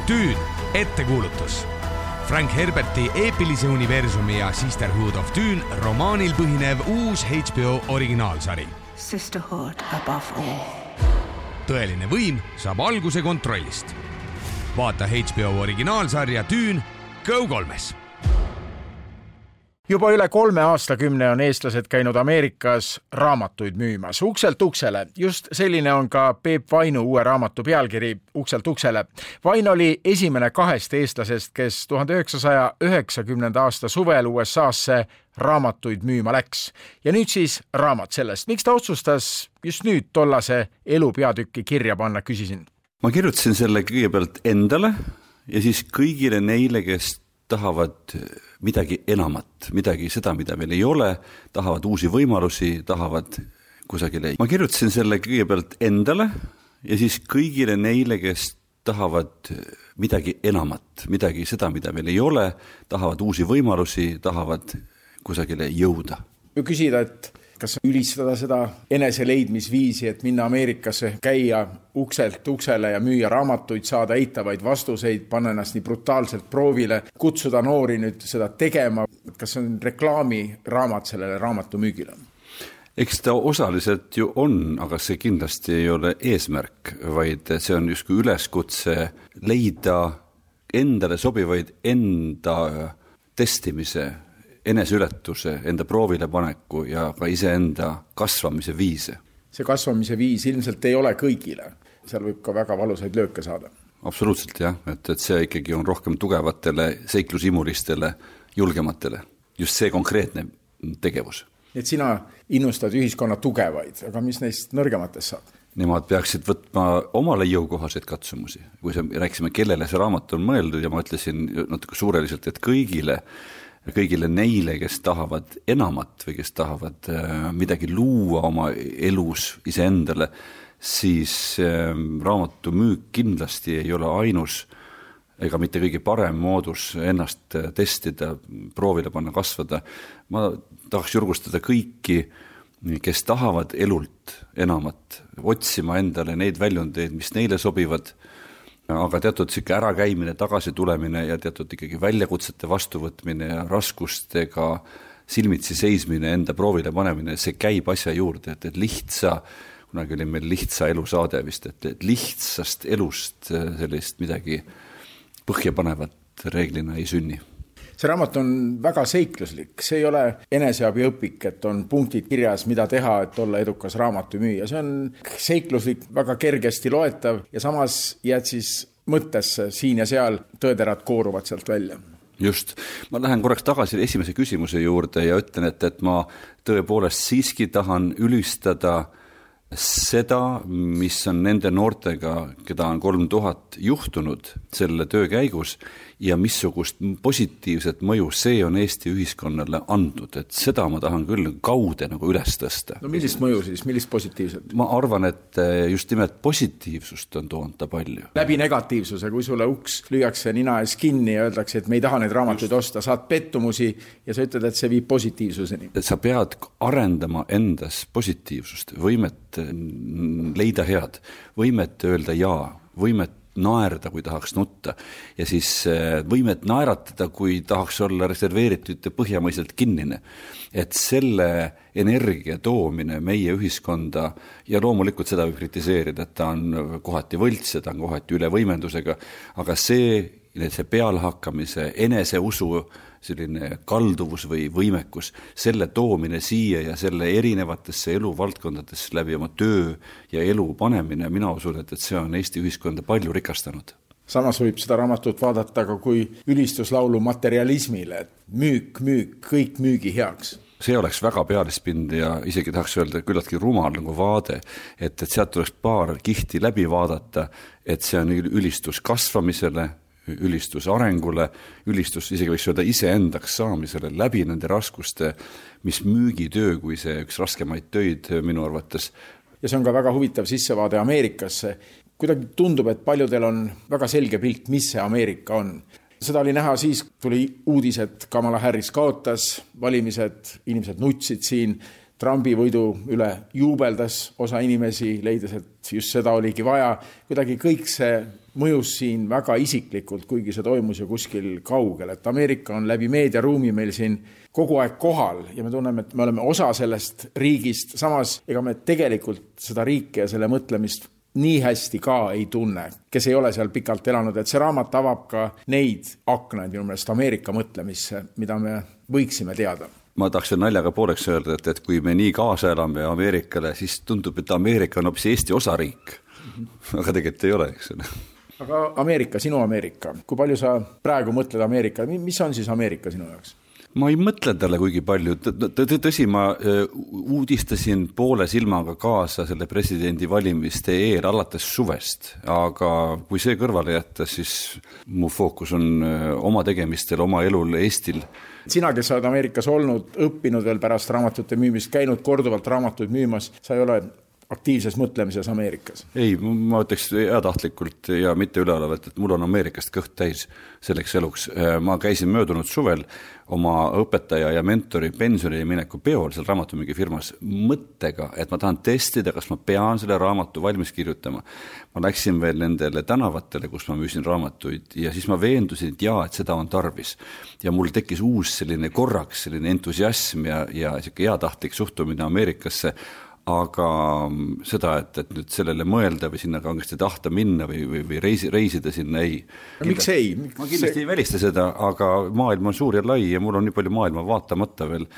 Dune, ettekuulutus. Frank Herberti eepilise universumi ja Sisterhood of Dune romaanil põhinev uus HBO originaalsari. Sisterhood above all. Tõeline võim saab alguse kontrollist. Vaata HBO originaalsarja Dune Go3-s. Juba üle 3 aastakümne on eestlased käinud Ameerikas raamatuid müümas. Ukselt uksele. Just selline on ka Peep Vainu uue raamatu pealkiri Ukselt uksele. Vain oli esimene 2 eestlasest, kes 1990. aasta suvel USA'sse raamatuid müüma läks. Ja nüüd siis raamat sellest. Miks ta otsustas just nüüd tollase elu peatükki kirja panna, küsisin. Ma kirjutasin selle kõigepealt endale ja siis kõigile neile, kes tahavad midagi enamat, midagi seda, mida meil ei ole, tahavad uusi võimalusi, tahavad kusagile. Ma kirjutasin selle kõigepealt endale ja siis kõigile neile, kes tahavad midagi enamat, midagi seda, mida meil ei ole, tahavad uusi võimalusi, tahavad kusagile jõuda. Küsida, et kas ülistada seda eneseleidmisviisi, et minna Ameerikasse, käia ukselt uksele ja müüa raamatuid, saada eitavaid vastuseid, panna ennast nii brutaalselt proovile, kutsuda noori nüüd seda tegema. Kas on reklaamiraamat sellele raamatu müügile? Eks ta osaliselt ju on, aga see kindlasti ei ole eesmärk, vaid see on justkui üleskutse leida endale sobivaid enda testimise, eneseületuse, enda proovile paneku ja ka iseenda kasvamise viise. See kasvamise viis ilmselt ei ole kõigile. Seal võib ka väga valusaid lööke saada. Absoluutselt jah, et see ikkagi on rohkem tugevatele, seiklusimulistele, julgematele. Just see konkreetne tegevus. Et sina innustad ühiskonna tugevaid, aga mis neist nõrgematest saad? Nemad peaksid võtma omale jõukohaseid katsumusi. Kui rääksime, kellele see raamat on mõeldud ja ma ütlesin natuke suureliselt, et kõigile neile, kes tahavad enamat või kes tahavad midagi luua oma elus iseendale, siis raamatu müük kindlasti ei ole ainus ega mitte kõige parem moodus ennast testida, proovile panna, kasvada. Ma tahaks julgustada kõiki, kes tahavad elult enamat, otsima endale neid väljundeid, mis neile sobivad, aga teatud siuke ärakäimine, tagasi tulemine ja teatud ikkagi väljakutsete vastuvõtmine ja raskustega silmitsi seismine, enda proovile panemine, see käib asja juurde, et lihtsa, kunagi oli meil lihtsa elu saade vist, et lihtsast elust sellist midagi põhjapanevat reeglina ei sünni. See raamat on väga seikluslik, see ei ole eneseabi õpik, et on punktid kirjas, mida teha, et olla edukas raamatu müüa. See on seikluslik, väga kergesti loetav ja samas jääd siis mõttesse siin ja seal, tõederad kooruvad sealt välja. Just. Ma lähen korraks tagasi esimese küsimuse juurde ja ütlen, et ma tõepoolest siiski tahan ülistada seda, mis on nende noortega, keda on 3000 juhtunud selle töö käigus ja missugust positiivset mõju see on Eesti ühiskonnale andnud, et seda ma tahan küll kaude nagu üles tõsta. No millist mõju siis, millist positiivset? Ma arvan, et just nimelt positiivsust on toonud ta palju. Läbi negatiivsuse, kui sulle uks lüüakse nina ees kinni ja öeldakse, et me ei taha neid raamatuid osta, saad pettumusi ja sa ütled, et see viib positiivsuseni. Sa pead arendama endas positiivsust, võimet leida head, võimet öelda jaa, võimet naerda, kui tahaks nutta ja siis võimet naeratada, kui tahaks olla reserveeritud ja põhjamaiselt kinnine. Et selle energia toomine meie ühiskonda ja loomulikult seda võib kritiseerida, et ta on kohati võlts, ta on kohati üle võimendusega, aga see pealhakkamise, eneseusu selline kalduvus või võimekus, selle toomine siia ja selle erinevatesse eluvaldkondadesse läbi oma töö ja elu panemine, mina usun, et see on Eesti ühiskonda palju rikastanud. Samas võib seda raamatut vaadata ka kui ülistuslaulu materialismile, et müük, kõik müügi heaks. See oleks väga pealispind ja isegi tahaks öelda küllaltki rumal nagu vaade, et sealt tuleks paar kihti läbi vaadata, et see on ülistus kasvamisele, ülistus arengule, ülistus isegi võiks öelda iseendaks saamisele läbi nende raskuste, mis müügitöö, kui see üks raskemaid töid minu arvates. Ja see on ka väga huvitav sissevaade Ameerikasse. Kuidagi tundub, et paljudel on väga selge pilt, mis see Ameerika on. Seda oli näha siis, tuli uudis, et Kamala Harris kaotas valimised, inimesed nutsid siin, Trumpi võidu üle juubeldas osa inimesi, leides, et just seda oligi vaja. Kuidagi kõik see mõjus siin väga isiklikult, kuigi see toimus ju kuskil kaugel, et Ameerika on läbi meediaruumi meil siin kogu aeg kohal ja me tunneme, et me oleme osa sellest riigist, samas ega me tegelikult seda riiki ja selle mõtlemist nii hästi ka ei tunne, kes ei ole seal pikalt elanud, et see raamat avab ka neid aknaid minu meelest Ameerika mõtlemisse, mida me võiksime teada. Ma tahaksin naljaga pooleks öelda, et kui me nii kaasa elame Ameerikale, siis tundub, et Ameerika on hoopis Eesti osariik. Aga tegelikult ei ole, eks ole. Aga Ameerika, sinu Ameerika, kui palju sa praegu mõtled Ameerika, mis on siis Ameerika sinu jaoks? Ma ei mõtle talle kuigi palju, tõsi, ma uudistasin poole silmaga kaasa selle presidendi valimiste eel alates suvest, aga kui see kõrvale jätta, siis mu fookus on oma tegemistel, oma elul Eestil. Sina, kes oled Ameerikas olnud, õppinud veel pärast raamatute müümist, käinud korduvalt raamatuid müümas, sa ei ole aktiivses mõtlemises Ameerikas? Ei, ma ütleks heatahtlikult ja mitte üleolevalt, et mul on Ameerikast kõht täis selleks eluks. Ma käisin möödunud suvel oma õpetaja ja mentori pensionile mineku peol seal raamatumüügifirmas mõttega, et ma tahan testida, kas ma pean selle raamatu valmis kirjutama. Ma läksin veel nendele tänavatele, kus ma müüsin raamatuid ja siis ma veendusin, et seda on tarvis. Ja mul tekkis uus selline korraks, selline entusiasm ja heatahtlik suhtumine Ameerikasse, aga seda, et nüüd sellele mõelda või sinna kangesti tahta minna või reisida sinna ei. Miks ei? Ma kindlasti ei välista seda, aga maailm on suur ja lai ja mul on nii palju maailma vaatamata veel.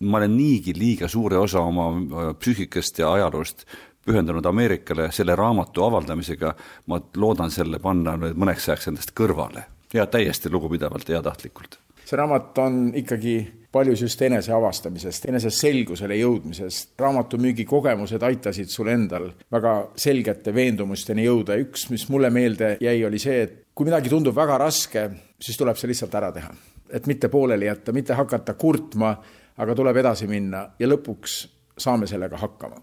Ma olen niigi liiga suure osa oma psüühikast ja ajaloost pühendanud Ameerikale selle raamatu avaldamisega. Ma loodan selle panna mõneks ajaks endast kõrvale ja täiesti lugupidavalt ja tahtlikult. See raamat on ikkagi paljus just enese avastamisest, enese selgusele jõudmisest. Raamatumüügi kogemused aitasid sul endal väga selgete veendumusteni jõuda. Üks, mis mulle meelde jäi, oli see, et kui midagi tundub väga raske, siis tuleb see lihtsalt ära teha. Et mitte pooleli jätta, mitte hakata kurtma, aga tuleb edasi minna ja lõpuks saame sellega hakkama.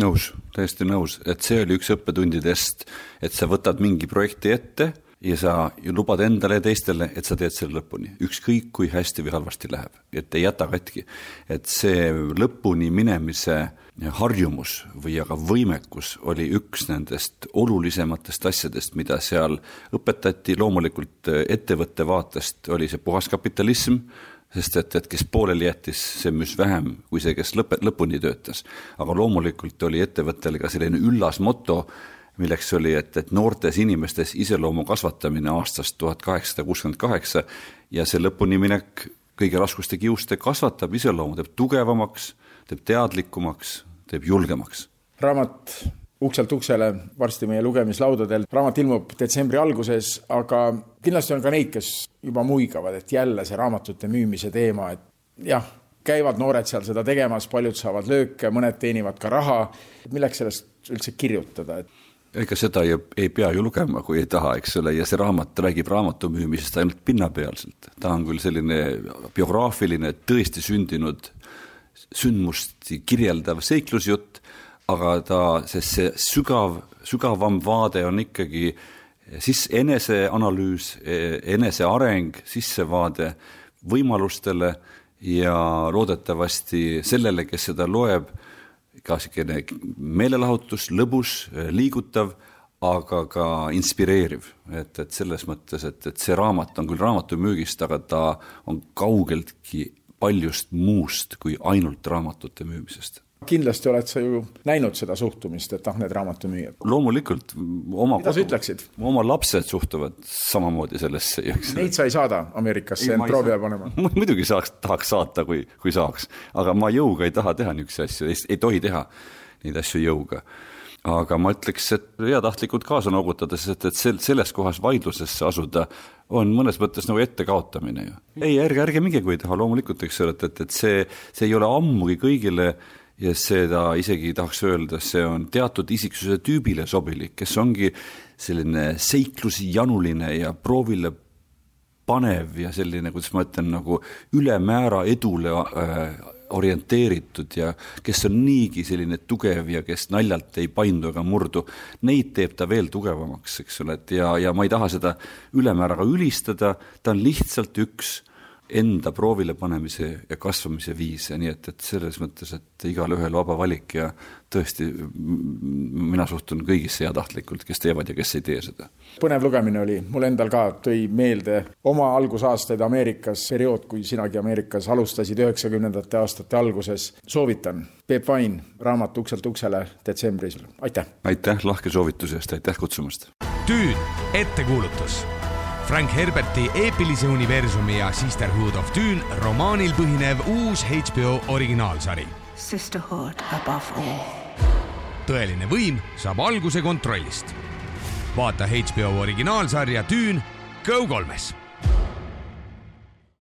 Nõus, täiesti nõus, et see oli üks õppetundidest, et sa võtad mingi projekti ette ja sa lubad endale ja teistele, et sa teed selle lõpuni. Ükskõik, kui hästi või halvasti läheb, et ei jäta katki. Et see lõpuni minemise harjumus või aga võimekus oli üks nendest olulisematest asjadest, mida seal õpetati. Loomulikult ettevõtte vaatest oli see puhas kapitalism, sest et kes pooleli jättis, see müüs vähem kui see, kes lõpuni töötas. Aga loomulikult oli ettevõttele ka selline üllas moto, milleks oli, et noortes inimestes iseloomu kasvatamine aastast 1868 ja see lõpuni minek kõige raskuste kiuste kasvatab iseloomu, teeb tugevamaks, teeb teadlikumaks, teeb julgemaks. Raamat ukselt uksele varsti meie lugemislaudadel. Raamat ilmub detsembri alguses, aga kindlasti on ka neid, kes juba muigavad, et jälle see raamatute müümise teema, et jah, käivad noored seal seda tegemas, paljud saavad lööke, mõned teenivad ka raha. Milleks sellest üldse kirjutada? Ega seda ei pea ju lugema, kui ei taha, eks ole, ja see raamat räägib raamatu müümisest ainult pinnapealselt. Ta on küll selline biograafiline, tõesti sündinud sündmust kirjeldav seiklusjutt, aga see sügavam vaade on ikkagi eneseanalüüs, eneseareng, sissevaade võimalustele ja loodetavasti sellele, kes seda loeb, ka meelelahutus, lõbus, liigutav, aga ka inspireeriv. Et selles mõttes, et see raamat on küll raamatumüügist, aga ta on kaugeltki paljust muust kui ainult raamatute müümisest. Kindlasti oled sa ju näinud seda suhtumist, et need raamatumüüjad. Loomulikult. Mida sa ütleksid? Oma lapsed suhtuvad samamoodi sellesse. Neid sa ei saada Ameerikasse, end proovile panema? Muidugi tahaks saata, kui saaks. Aga ma jõuga ei taha teha niisuguse asju, ei tohi teha neid asju jõuga. Aga ma ütleks, et heatahtlikult kaasa noogutades, et selles kohas vaidlusesse asuda on mõnes mõttes nagu ette kaotamine. Ei, ärge minge, kui ei taha. Loomulikult, et see ei ole ammugi kõigile ja seda isegi tahaks öelda, see on teatud isiksuse tüübile sobilik, kes ongi selline seiklusi januline ja proovile panev ja selline, kuidas ma ütlen, nagu ülemäära edule orienteeritud ja kes on niigi selline tugev ja kes naljalt ei paindu ega murdu, neid teeb ta veel tugevamaks, eks ole, ja ma ei taha seda ülemääraga ülistada, ta on lihtsalt üks enda proovile panemise ja kasvamise viise, nii et selles mõttes, et igal ühel vaba valik ja tõesti mina suhtun kõigisse heatahtlikult, kes teevad ja kes ei tee seda. Põnev lugemine oli, mul endal ka tõi meelde oma algusaastaid Ameerikas, periood, kui sinagi Ameerikas alustasid 90. aastate alguses. Soovitan Peep Vain, raamat Ukselt uksele detsembris. Aitäh! Aitäh lahke soovituse eest, aitäh kutsumast! Dune, ettekuulutus. Frank Herberti eepilise universumi ja Sisterhood of Dune romaanil põhinev uus HBO originaalsari. Sisterhood above all. Tõeline võim saab alguse kontrollist. Vaata HBO originaalsarja Dune Go3-s.